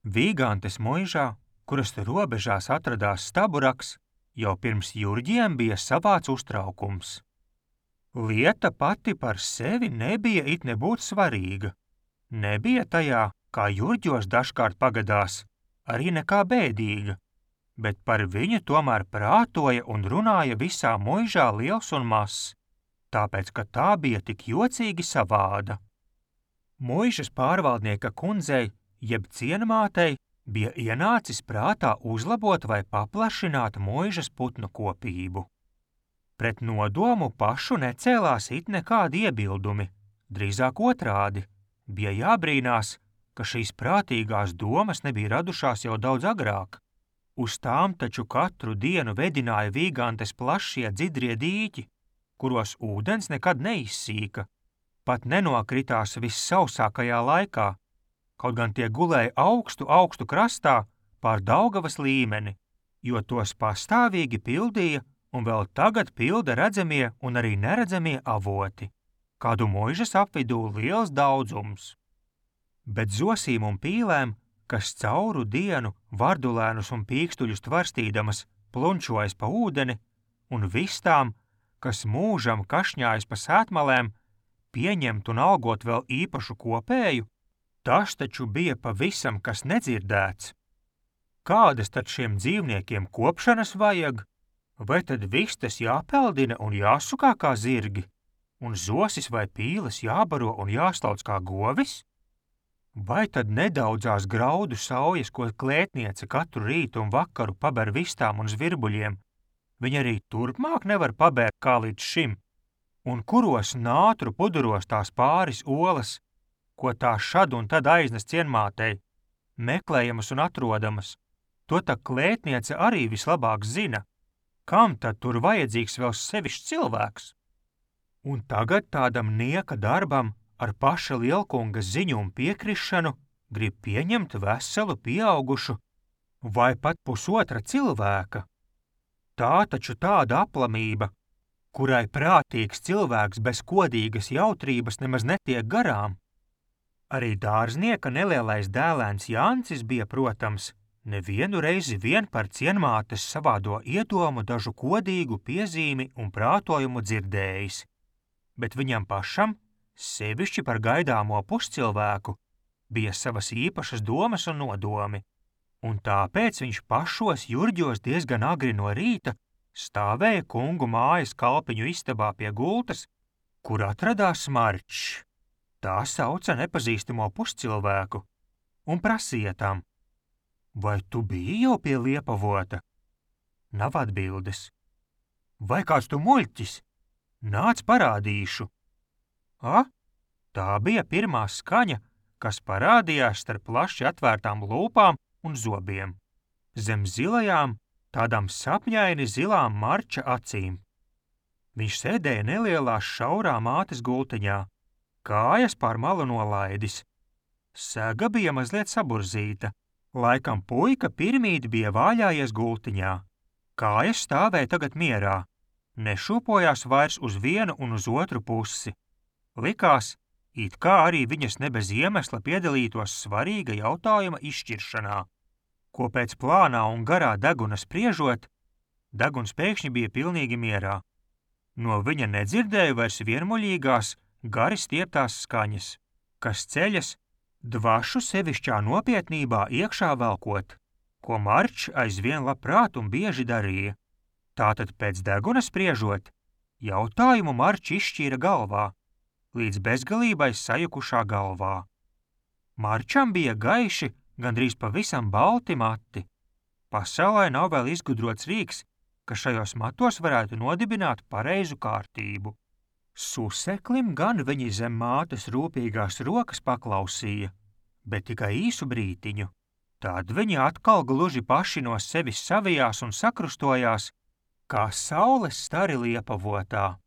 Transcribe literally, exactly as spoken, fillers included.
Vīgantes muižā, kuras robežās atradās staburaks, jau pirms jurģiem bija savāds uztraukums. Lieta pati par sevi nebija it nebūt svarīga. Nebija tajā, kā jurģos dažkārt pagadās, arī nekā bēdīga, bet par viņu tomēr prātoja un runāja visā muižā liels un mazs, tāpēc, ka tā bija tik jocīgi savāda. Muižas pārvaldnieka kundzei, jeb cienmātei, bija ienācis prātā uzlabot vai paplašināt muižas putnu kopību. Pret nodomu pašu necēlās it nekādi iebildumi, drīzāk otrādi, bija jābrīnās, ka šīs prātīgās domas nebija radušās jau daudz agrāk. Uz tām taču katru dienu vedināja Vīgantes plašie dzidrie dīķi, kuros ūdens nekad neizsīka, pat nenokritās vissausākajā laikā, kaut gan tie gulēja augstu, augstu krastā pār Daugavas līmeni, jo tos pastāvīgi pildīja un vēl tagad pilda redzamie un arī neredzamie avoti, kādu muižas apvidū liels daudzums. Bet zosīm un pīlēm, kas cauru dienu vardulēnus un pīkstuļus tvarstīdamas plunčojas pa ūdeni, un vistām, kas mūžam kašņājas pa sētmalēm, pieņemt un algot vēl īpašu kopēju, tas taču bija pavisam kas nedzirdēts. Kādas tad šiem dzīvniekiem kopšanas vajag? Vai tad vistas jāpeldina un jāsukā kā zirgi, un zosis vai pīles jābaro un jāslauc kā govis? Vai tad nedaudzās graudu saujas, ko klētniece katru rītu un vakaru paber vistām un zvirbuļiem, viņa arī turpmāk nevar pabērt kā līdz šim, un kuros nātru puduros tās pāris olas, ko tā šad un tad aiznes cienmātei, meklējamas un atrodamas, to tā klētniece arī vislabāk zina, kam tad tur vajadzīgs vēl sevišķs cilvēks. Un tagad tādam nieka darbam ar paša lielkunga ziņu un piekrišanu grib pieņemt veselu pieaugušu vai pat pusotra cilvēka. Tā taču tāda aplamība, kurai prātīgs cilvēks bez kodīgas jautrības nemaz netiek garām. Arī dārznieka nelielais dēlēns Jancis bija, protams, nevienu reizi vien par cienmātes savādo iedomu dažu kodīgu piezīmi un prātojumu dzirdējis, bet viņam pašam, sevišķi par gaidāmo puscilvēku, bija savas īpašas domas un nodomi, un tāpēc viņš pašos jurģos diezgan agri no rīta stāvēja kungu mājas kalpiņu istabā pie gultas, kur atradās Marčs, tā sauca nepazīstamo puscilvēku, un prasīja tam: vai tu biji jau pie Liepavota? Nav atbildes. Vai kāds tu muļķis? Nāc parādīšu. A, tā bija pirmā skaņa, kas parādījās starp plaši atvērtām lūpām un zobiem. Zem zilajām, tādām sapņaini zilām Marča acīm. Viņš sēdēja nelielā šaurā mātes gultiņā, kājas pār malu nolaidis. Sega bija mazliet saburzīta, laikam puika pirmīt bija vāļājies gultiņā. Kājas stāvēja tagad mierā, nešūpojās vairs uz vienu un uz otru pusi. Likās, it kā arī viņas ne bez iemesla piedalītos svarīga jautājuma izšķiršanā, ko pēc plānā un garā deguna spriežot, deguns pēkšņi bija pilnīgi mierā. No viņa nedzirdēja vairs vienmuļīgās, gari stieptās skaņas, kas ceļas dvašu sevišķā nopietnībā iekšā velkot, ko Marčs aizvien labprāt un bieži darīja. Tātad pēc deguna spriežot, jautājumu Marčs izšķīra galvā, līdz bezgalībai sajukušā galvā. Marčam bija gaiši, gandrīz pavisam balti mati. Pasaulē nav vēl izgudrots rīks, ka šajos matos varētu nodibināt pareizu kārtību. Suseklim gan viņi zem mātes rūpīgās rokas paklausīja, bet tikai īsu brītiņu. Tad viņi atkal gluži paši no sevis savijās un sakrustojās, kā saules stari Liepavotā.